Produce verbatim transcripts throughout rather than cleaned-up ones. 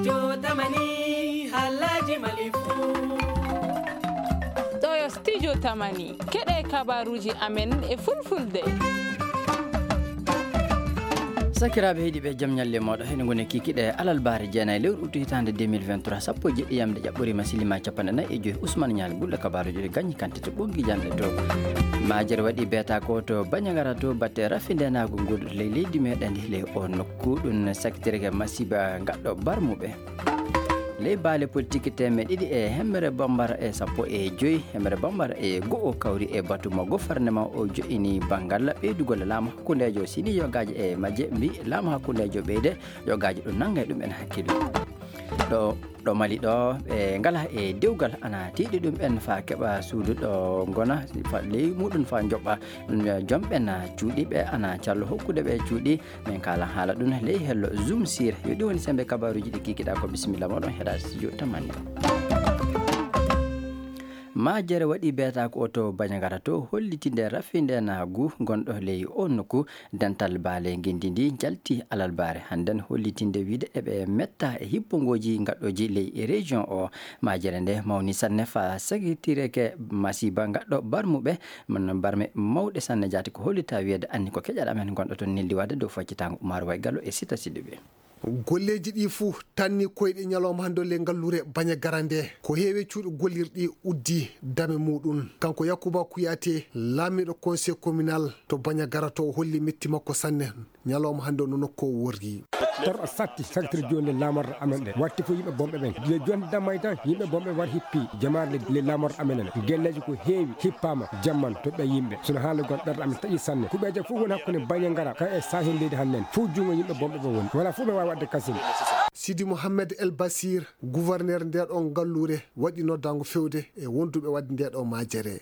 Yo tamani halaji malifu. Ɗo yo studio tamani. Keɗe kabaruji amen e fulfulde. Sakiraaɓe heɗiiɓe, jam ñalle mooɗo. Heno ngoni kikiɗe alarbaare jeenayi lewru utu hitaande deux mille vingt-trois, sappo e jeɗɗi yamde ƴaɓɓoriima silima capanɗe nayi e joyi. Ousmane Ñaali Gulɗo kabaaruji ɗi gañi kantite ɓoggi janɗe to. Majere waɗi beeta ko to Bañagara to batte rafindenaagu ngol ley leydi meɗen ndi ley o nokku ɗum sakitirke masiba gaɗɗo barmuɓe. Ley baale politik teemeɗe ɗiɗi e hemere bambara e sappo e joyi, hemere bambara e go'o kawri e batu mo gouvernement o jo'ini banngal ɓeydugol laamu hakkundeejo sini yogaaji e majje mbi laamu hakkundeejo ɓeyde yogaaji ɗum nannga e ɗum en hakkille. Ɗo, ɗo Mali ɗo ɓe ngala e dewgal ana tiiɗi ɗum en fa keɓa suudu ɗo ngona fa ley muɗum fa joɓɓa ɗum joom ɓen cuuɗi ɓe ana callo hokkude ɓe cuuɗi. Min kala haala ɗum ley hello Zoom sir. Yo ɗum woni sembe kabaruji ɗi kikiɗa ko bisimilla moɗon heɗa studio tamani. Majere waɗi beeta ko oto Bañagara to hollitinde rafindenaagu gonɗo ley o nokku. Dental baale ngendi ndi jalti alarbaare hannden hollitinde wiide eɓe metta e hippongooji gaɗɗooji ley e région o. Majere nde mawni sanne fa sakitireke masiba gaɗɗo barmuɓe. Mon barme mawɗe sanne jaati ko hollita wiyeede anni ko keƴal amen gonɗo toon neldi waɗde dow faccitango Umar Way Gallo e Sita Sidibé. Golleeji ɗi fuu tanni koyɗe ñalawma hannde ley ngalluure Bañagara nde. Ko heewi cuuɗi gollirɗi uddi dame muɗum. Kanko Yakuba Kuyate, laamiiɗo conseil communal to Bañagara to o holli metti makko sanne. Ñalawma hannde no nokku o worri. Taro a satti sagtiri jooni le laamorɗe amen ɗe. Watti fof yimɓe bomɓe ɓen. Le jooni damay tan yimɓe bomɓe war hippi jamaare le, le laamorɗe amen ɗe. Gelleeji ko heewi hippaama jamman to ɓe yimɓe. Sono haala gon ɓerɗe amen taƴi sanne. Kuɓeeje fof woni hakkunde Bañagara ka e saahen leydi hannden. Fof junngo yimɓe bomɓe ɓe woni. Wala fof ɓe waawi waɗde kasin. Sidi Mohamed El Basir, gouverneur nde ɗon ngalluure, waɗi noddaango fewde e wonduɓe waɗde nde ɗo majere.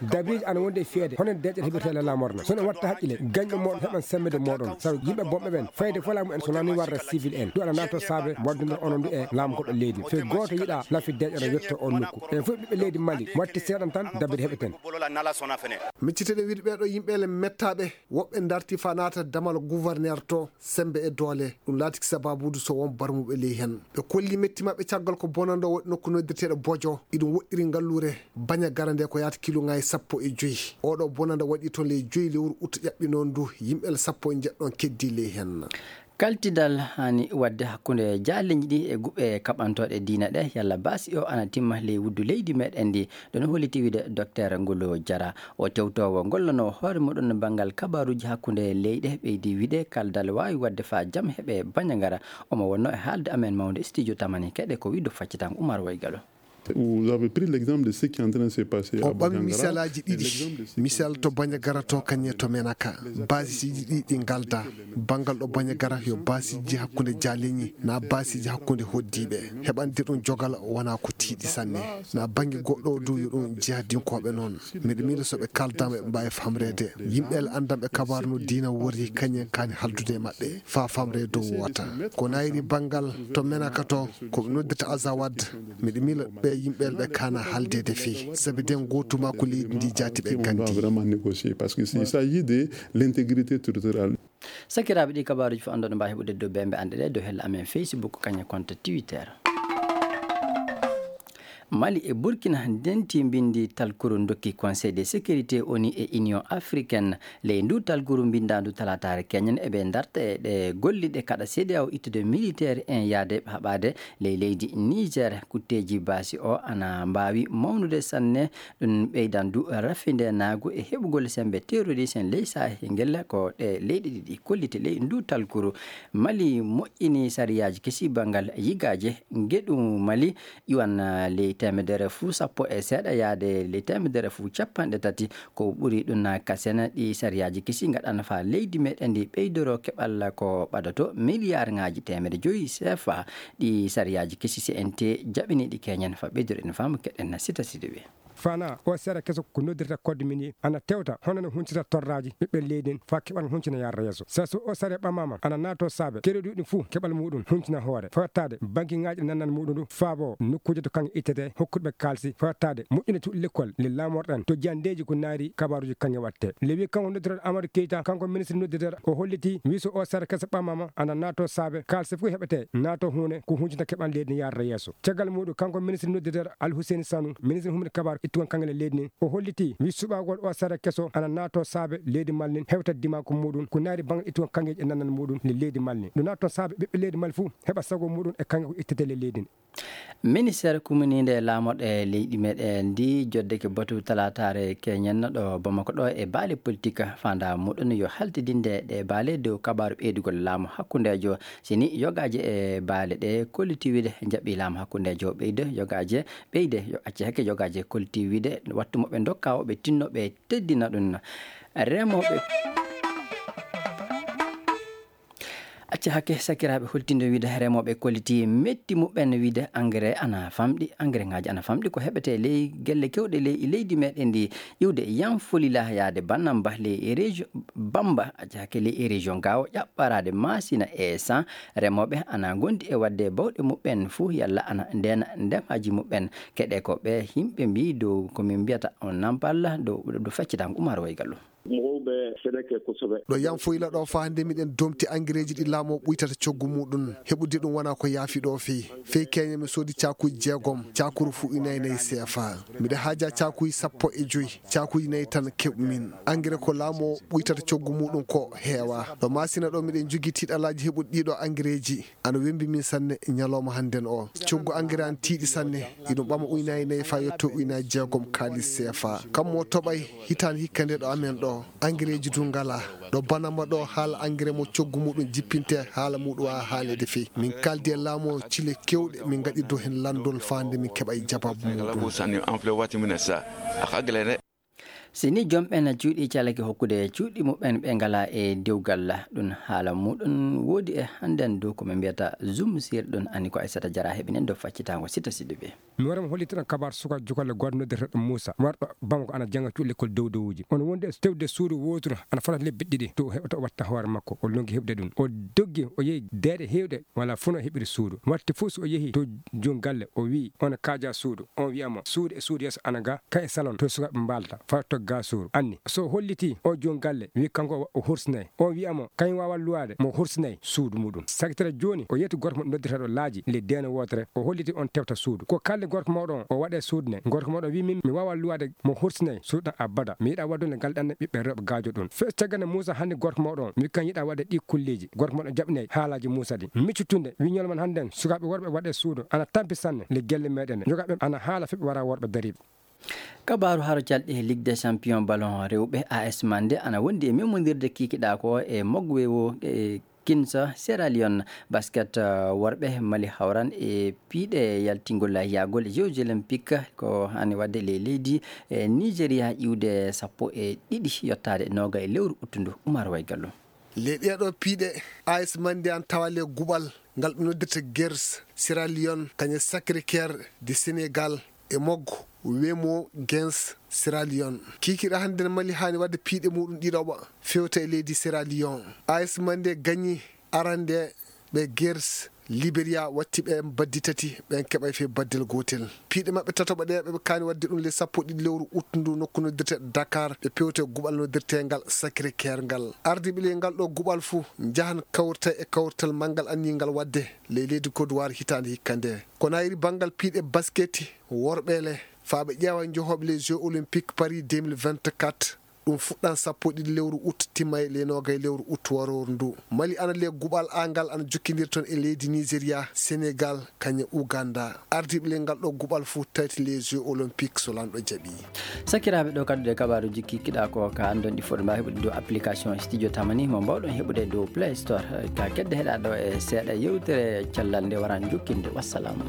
Dabiiji ana wonde e feede, hono deeƴere heɓirtee la lamorna. Sono watta haqqile, gañɗo moɗon heɓan semmede moɗon. Sabu yimɓe bomɓe ɓen, fayde fof laamu en so nani warra civil en. Ɗum ana nato saabe waddunde onon ɗum e laamu goɗɗo leydi. Fe gooto yiɗa lafi deeƴere yetto on nokku. En fof ɓiɓɓe leydi Mali, watti seeɗan tan, dabiri heɓeten. Micciteɗen wiide ɓeeɗo yimɓe le mettaaɓe, woɓɓe darti fa naata damal gouverneur to, sembe e doole. Ɗum laatiki sababuudu so won barmuɓe ley hen. Ɓe kolli metti maɓɓe caggal ko bonanda waɗi nokku noddirteeɗo Bojo. Iɗum woɗɗiri ngalluure Bañagara nde ko yaata kiluŋaaji sappo e joyi. Oɗo bonanda waɗi toon ley joyi lewru ut ƴaɓɓi noon ndu, yimɓe sappo e njeɗɗon keddi ley hen. Kaltidal hani waɗde hakkunde jaaleñi ɗi e guɓe kaɓantooɗe diina ɗe, yalla baasi o ana timma ley wuddu leydi meɗen ndi. Ɗum holliti wiide Docteur Ngolo Jara. O tewtoowo gollanoowo hoore muɗum banngal kabaaruuji hakkunde leyɗe ɓeydi wiide kaldal waawi waɗde faa jam heɓe Bañagara. Omo wonnoo e haalde amen mawnde studio Tamani keɗe ko wiɗo faccitango Umar Way Galo. Vous avez pris l'exemple de ce qui est en train de se passer à Bañagara. O ɓami misalaaji ɗiɗi. Misal to Bañagara to kañe to Menaka. Baasiiji ɗi ɗi ngalda. Banngal ɗo Bañagara yo baasiiji hakkunde jaaleñi, na baasiiji hakkunde hoddiiɓe. Heɓande ɗum jogal wona ko tiiɗi sanne. Na bannge goɗɗo o du yo ɗum jihadinkooɓe noon. Miɗo miila so ɓe kaaldaama ɓe mbaawi famreede. Yimɓe le anndanɓe kabaaru no diina worri kañen kaani haldude e maɓɓe. Faa famre dow wota. Ko nayri banngal to Menaka to, ko ɓe noddirta Azawad. Miɗo miila ɓe yimɓe le ɓe kaana haldeede fii. Sabi den gootu maa ko leydi ndi jaati ɓe gandi. Vraiment négocier parce que il s'agit de l'intégrité territoriale. Sakiraaɓe ɗi kabaaruuji fof annduɗo mbaawi heɓude dow bembe anɗe ɗe dow hella amen Facebook kañum konto Twitter. Mali e Burkina ndenti mbindi talkuru dokki Conseil de sécurité O N U e Union africaine. Ley ndu talkuru mbindaandu talaataare keñen eɓe darta e ɗe golliɗe kaɗa C D A O ittude militaire en yaade haɓaade ley leydi Niger. Kutteeji baasi o ana mbaawi mawnude sanne. Ɗum ɓeydan du rafindeenaagu e heɓugol semmbe terroriste en ley Sahel ngel ko ɗe leyɗe ɗiɗi kolliti ley ndu talkuru. Mali moƴƴini sariyaaji kesi banngal yigaaje. Ngeɗu Mali iwan, ah, ley teemedere fuu sappo e seeɗa yaade ley teemedere fuu capanɗe tati. Ko ɓuri ɗum na kasena ɗi sariyaaji kesi ngaɗana faa leydi meɗen ndi ɓeydoro keɓal ko ɓadoto miliyarŋaaji teemedde joyi C F A. Ɗi sariyaaji kesi C N T jaɓini ɗi keñen faa ɓeydoro en faamu keɗen na Sita Sidibe. Fana o sera keso ko noddirta code minier ana tewta hono no huncita torraji ɓiɓɓe leydi en faa keɓal huncina yarra yeeso. Sa so o sere ɓamama ana naato saabe kereɗuɗi fuu keɓal muɗum huncina hoore. Fawtaade banki ŋaaji ɗi nannan muɗum ɗum faabo nokkuuje to kaŋŋe ittete hokkuɓe kaalsi fawtaade moƴƴina cuɗi lekkol le laamorɗen to jandeeji ko naari kabaaruji kaŋŋe watte. Le wi kanko noddirta Amadou Keita kanko ministre noddirta o holliti wi so o sere keso ɓamama ana naato saabe kaalsi fof heɓete naato huune ko huncita keɓal leydi yarra yeeso. Caggal muɗum kanko ministre noddirta Alhuseni Sanu, ministre humde kabaru ittugal kaŋŋe le leydi ndin, o holliti wi suɓagol o sara keso ana naato saabe leydi Mali ndin hewta dimanko muɗum ko naari bangal ittugal kaŋŋeji e nanal muɗum le leydi Mali ndin. Ɗum naat toon saabe ɓiɓɓe leydi Mali fuu heɓa sago muɗum e kaŋŋe ko ittete le leydi ndin. Ministeer kumininde laamorɗe leydi meɗen ndi joddeke batu talaataare keñen ɗo Bamako ɗo e baale politik fanda muɗum yo haltidinde ɗe baale dow kabaru ɓeydugol laamu hakkundeejo. Sini yogaaje e baale ɗe kollitiwide jaɓi laamu hakkundeejo ɓeyde yogaaje ɓeyde yo acce hakke yogaaje kollitiwide wattu mo ɓe ndokka o ɓe tinno ɓe teddina ɗum. Remooɓe acce hakke sakiraaɓe holtinde wiide remooɓe kolliti metti muɓɓen wiide engrais ana famɗi engrais ŋaaji ana famɗi ko heɓete ley gelle kewɗe ley leydi meɗen ndi iwde yanfolila yaade bannamba ley région bamba acce hakke ley région gawo ƴaɓɓaraade masina e san. Remooɓe ana ngondi e waɗde bawɗe muɓɓen fuu yalla ana ndeena ndemaaji muɓɓen keɗe ko ɓe yimɓe mbi dow ko min mbiyata on nampal dow ɗo feccita umar waygallo. Mowɓe seneke ko soɓe ɗo yanfoyla ɗo faa hannde miɗen domti angereeji ɗi laamoo ɓuytata coggu muɗum heɓude ɗum wona ko yaafi ɗo fii fii keñe mi soodi caakuuji jeegom caakuru fuu inaynayi seefa. Miɗa haaja caakuuji sappo e joyi caakuuji nayi tan keɓmin. Angere ko laamoo ɓuytata coggu muɗum ko heewa ɗo masina ɗo miɗen jogii tiiɗalaaji heɓude ɗiɗo angereeji. Ana wembi min sanne ñalawma hannden o coggu angere an tiiɗi sanne. Iɗum ɓama uynaaji nayi faa yetto uynaaji jeegom kaalis seefa. Kam mo toɓay hitaande hikka nde ɗo amen ɗo angereeji du ngalaa. Ɗo banama ɗo haala angere mo coggu muɗum jippinte haala muɗum a haalede fii min kaldi e laamu o cile kewɗe min ngaɗirdo heen lanndol faa nde min keɓay jabaabu muɗum. Si ni joom ɓen cuuɗi calake hokkude cuuɗi muɓɓen ɓe ngala e dewgal ɗum haala muɗum woodi e hannden dow ko min mbiyata zum sir ɗum ani ko aysata jara heɓinen dow faccitango sita siɗi ɓe. Mi wara mi hollitana kabar suka jukalle goɗo noddirteɗo muusa warɗo bamako ana janga cuuɗi lekkol dow dowuji on wondi e tewde suudu woturu ana fotata lebbi ɗiɗi to o heɓata o watta hoore makko o longi heɓde ɗum o doggi o yehi deeɗe hewɗe wala fof no heɓiri suudu watti fof so o yehi to jom galle o wi on kaaja suudu on wiyamo suudu e suudu yeeso ana ga kan e salon to sukaɓe mbalata faa togga suudu anni so holliti o jom galle wi kanko o horsinay on wiyamo kañ wawa luwade mo horsinay suudu muɗum sakitere joni o yetti gorko mo noddirteɗo laaji le deene wotere o holliti on tewta suudu ko kalde gorko mawɗo on o waɗe suudu ne gorko mawɗo wi min mi wawa luwade mo horsinay suudu ɗan abada mi yiɗa waddunde ngal ɗanne ɓiɓɓe rewɓe gaajo ɗum fe caggal nde muusa hannde gorko mawɗo on wi kan yiɗa waɗde ɗi kulleji gorko mawɗo jaɓinay haalaji muusa ɗi miccutunde wi ñolman hannden sukaɓe worɓe waɗe suudu ana tampi sanne le gelle meɗen jogaɓe ana haala feɓe wara worɓe dariɓe. Kabaaru haro calɗi e ligue des champions ballon rewɓe as mande ana wondi e memondirde kikiɗa ko e mogwewo e kinsa sierra leone basket worɓe mali hawran e piiɗe yaltingol yahgol e jeux olympique ko hani wadde ley leydi e nigeria iwde sappo e ɗiɗi yottaade noga e lewru uttundu umar waygallo. Ley ɗeeɗoo piiɗe, A S Mandian tawa le guɓal ngal ɓe noddirta Gers Sierra Leone, kañe Sacré-Cœur de Sénégal e Mog Wemo Gens Sierra Leone. Kiikiiɗe hannde ne Mali haani waɗde piiɗe muuɗum ɗiɗaɓa fewta e leydi Sierra Leone. A S Mandian gañi arande ɓe Gers Liberia watti ɓe baddi tati ɓen keɓay fe baddel gootel. Piiɗe maɓɓe tataɓo ɗe ɓeɓe kaani waɗde ɗum le sappo ɗiɗi lewru ut ndu nokku noddirte Dakar ɓe pewte guɓal noddirtengal Sacré Cœur ngal. Ardiiɓe ley ngal ɗo guɓal fuu njahan kawrita e kawrital manngal anniingal waɗde ley leydi Côte d'Ivoire hitaande hikka nde. Ko nayri banngal piiɗe basket worɓe le faa ɓe ƴeewa njohooɓe les Jeux Olympiques Paris deux mille vingt-quatre. Ɗum fuɗɗan sappo e ɗiɗi lewru ut timma e le noogay lewru ut warooru ndu. Mali ana le guɓal aangal ana jokkindir toon e leydi Nigeria, Senegal, kañe Uganda. Ardiiɓe le ngal ɗo guɓal fuu tawti les Jeux Olympiques so lanɗo jaɓi. Sakiraaɓe ɗo kaddude kabaaruji kikkiɗa ko ka anndon ɗi foɗo mbawi heɓude dow application studio tamani mo mbawɗon heɓude dow play store ka kedde heɗa ɗo e seeɗa yewtere callal nde waran jokkinde wassalamu.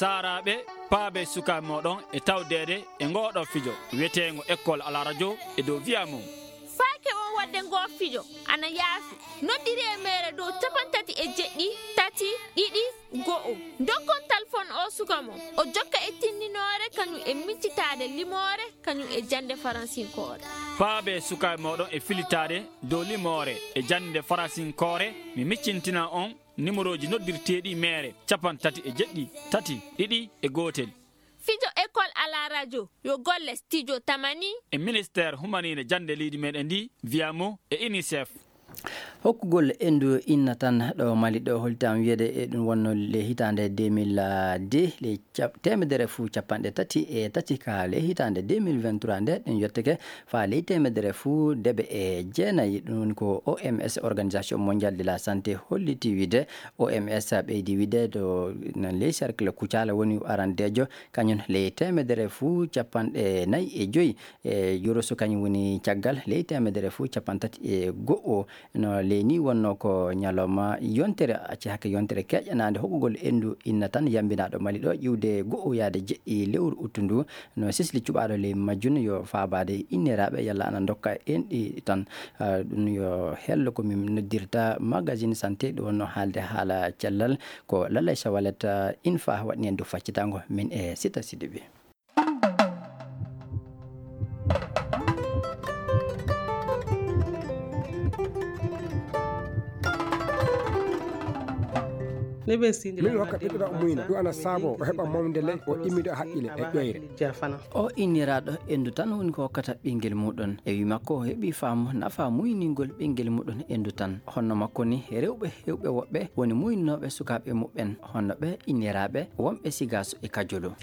Saaraaɓe, paabee sukaaɓe mooɗon e tawdeede e ngooɗoo fijo wiyeteengo École à la radio e dow Via Mo. Faake o Wadde ngoo fijo ana yaafi. Noddiri e meere dow capanɗe tati e jeɗɗi, tati, ɗiɗi, go'o. Ndokkon talfon oo suka mon. O jokka e tinndinoore kañum e miccitaade limoore kañum e jannde faransinkoore. Paabee sukaaɓe mooɗon e filitaade dow limoore e jannde faransinkoore. Mi miccintina on nimorooji noddirteeɗi meere capanɗe tati e jeɗɗi, tati, ɗiɗi e gootel. Fijo école à la radio, yo golle studio Tamani. E ministère humaniinde jannde leydi meɗen ndi, Viamo e UNICEF. Hokkugol enndu inna tan ɗo Mali ɗo, hollitam wiyede e ɗum wonno le hitaande deux mille deux, le cap-, teemedere fuu capanɗe tati e tati ka le hitaande deux mille vingt-trois nde, ɗum yottake faa ley teemedere fuu debe e jeenayi. Ɗum woni ko O M S, Organisation Mondiale de la Santé, holliti wiyde. O M S ɓeydi wiyde to nan ley cercle Kucala woni arandeejo, kañum ley teemedere fuu capanɗe nayi e joyi e joroso, kañum woni caggal ley teemedere fuu capanɗe tati e go'o. No ley ni wonno ko ñalawma yontere, acci hakke yontere keƴanaande hokkugol enndu inna tan yambinaaɗo Mali ɗo, iwde go'o yaade jeɗɗi lewru uttu ndu. No sisli cuɓaaɗo ley majjum yo faabaade inniraaɓe yalla ana ndokka enɗi tan. Ah, ɗum yo hello ko min noddirta magazine santé, ɗum wonno haalde haala cellal. Ko Lalay Sawalet, ah, Infa waɗni en du faccitango min e Sita Sidibe. Min hokka ɓiɗɗo ɗo muyna, ɗum ana saabo o heɓa mawde le, o immido haqqile e ƴoyre. O inniraaɗo enndu tan woni ko hokkata ɓinngel muɗum. E wi makko, o heɓi faamu nafa muyningol ɓinngel muɗum enndu tan. Honno makko ni, rewɓe hewɓe woɓɓe woni muynooɓe sukaaɓe muɓɓen, honno ɓe inniraaɓe wonɓe Sigaaso e Kajolo.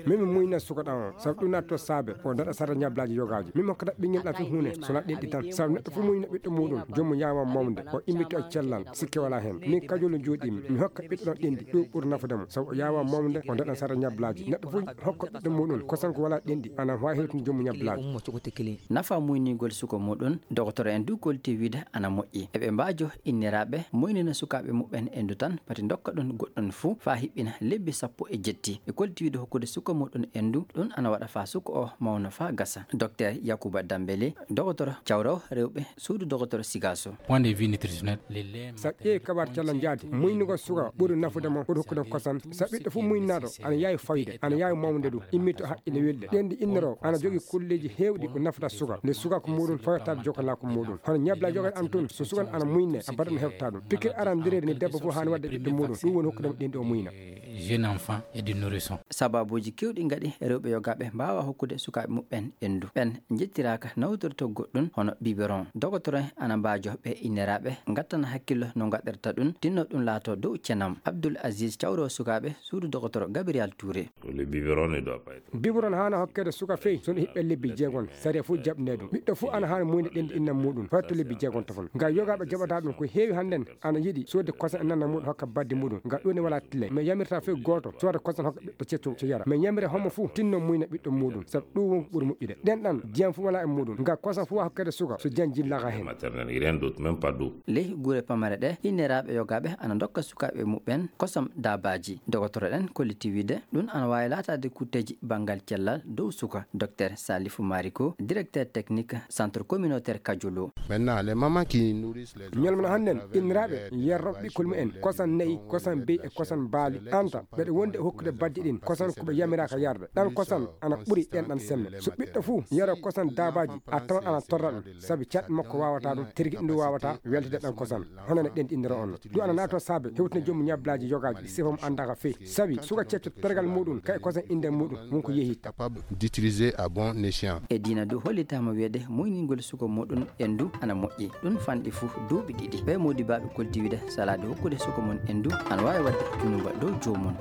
Min mi muyna suka ɗan on, sabu ɗum natto saabe, o daɗa sara ñablaaji yogaaji. Min mi hokkata ɓinngel ɗan fof huunde, so na ɗenɗi tan. Sabu neɗɗo fof muyna ɓiɗɗo muɗum, joomum yaawa mawde, o immito e cellal, sikke walaa heen. Min Kajolo jooɗiimi, mi hokka ɓiɗɗo ɗan ɗenɗi, ɗum ɓuri nafude mo. Sabu o yaawa mawde, o daɗa sara ñablaaji. Neɗɗo fof hokka ɓiɗɗo muɗum, kosan ko walaa ɗenɗi, ana waawi hewtude joomum ñablaaji. Nafa muynigol suka muɗum, dogotoro en du kolti wiide ana moƴƴi. Eɓe mbaajo inniraaɓe muynina sukaaɓe muɓɓen enndu tan, pati ndokka ɗum goɗɗum fuu faa hiɓɓina lebbi sappo e jetti. E kolti wiide hokkude suka muɗum enndu, ɗum ana waɗa faa suka o mawna faa gasa. Docteur Yakuba Dambele, dogotoro cawrawo rewɓe suudu dogotoro Sigaaso. Point de vue nutritionnel, les laits. Sa ƴeewi kabaar cellal njaadi, muynugol suka ɓuri nafude mo, ɓuri hokkude mo kosan. Sa ɓiɗɗo fof muynaaɗo, ana yaawi fawde, ana yaawi mawnude du, immito haqqille welɗe. Ɗenɗi inniroo, ana jogii kulleeji heewɗi ko nafata suka. Nde suka ko muɗum, fawata jokalaa ko muɗum. Hono ñablaaji yogaaji ana toon, so suka ana muyne, a baɗan heɓta ɗum. Pikir arandireeri ni debbo fof haani waɗde ɓiɗɗo muɗum, ɗum woni hokkude mo ɗenɗi o muyna. Jeune enfant et du nourrisson. Sababuuji keewɗi ngaɗi rewɓe yogaaɓe mbaawa hokkude sukaaɓe muɓɓen enndu. Ɓen njettiraaka nawtorto goɗɗum hono biberon. Dogotoro en ana mbaajo ɓe inniraaɓe, ngattana hakkillo no ngaɗirta ɗum, tinno ɗum laato dow cenam. Abdoul Aziz cawro sukaaɓe suudu dogotoro Gabriel Touré. Le biberon ne doit pas être. Biberon haana hokkeede suka fey, so no hiɓɓe lebbi jeegon, sariya fof jaɓnee ɗum. Ɓiɗɗo fof ana haana muyde ɗenɗi inna muɗum, fawta lebbi jeegon tafon. Nga yogaaɓe jaɓata ɗum ko heewi hannden, ana yiɗi soodde kosan e nana muɗum hokka baddi muɗum. Nga ɗum ne wala tile. Mais yamirta fof gooto sooda kosan hokka ɓiɗɗo cetto so yara. Mais yamira homo fof tinno muyna ɓiɗɗo muɗum. Sabu ɗum won ko ɓuri moƴƴude. Ɗen ɗan, jiyam fof wala e muɗum. Nga kosan fof hokkeede suka, so jiyam jillaka heen. Maternelle, rien d'autre, même pas d'eau. Ley gure pamare ɗe, inniraaɓe yogaaɓe ana ndokka sukaaɓe muɓɓen kosam daabaaji. Dogotoro ɗen kolliti wiide, ɗum ana waawi laataade kutteeji banngal cellal dow suka. Docteur Salifou Mariko, directeur technique centre communautaire Kajolo. Maintenant, les mamans qui nourrissent les enfants. Ñalmana hannden, inniraaɓe yarrooɓe ɓikkol mumen, kosan nayi, kosan beyi e kosan baali, anta, ɓeɗe wonde e hokkude baddi ɗin, kosan ko ɓe yamiraaka yarde. Ɗan kosan ana ɓuri ɗen ɗan semme. So ɓiɗɗo fuu yaro kosan daabaaji, a tawan ana torra ɗum, sabi caɗɗi makko waawata ɗum, tirgiɗi ndu waawata weltade ɗan kosan. Hono no ɗen inniroo on. Ɗum ana naatoo saabe hewtina joom ñablaaji yogaaji, sifo mo anndaaka fey. Sabi suka cetto tergal muɗum, kay kosan innde muɗum, won ko yehi. Capable d'utiliser à bon escient. E diina du hollitaama wiyeede muyningol suka muɗum enndu ana moƴƴi. Ɗum fanɗi fuu duuɓi ɗiɗi. Ɓe moodibaaɓe kolti wiide salaade hokkude suka mum enndu ana waawi waɗde junuba dow joomum.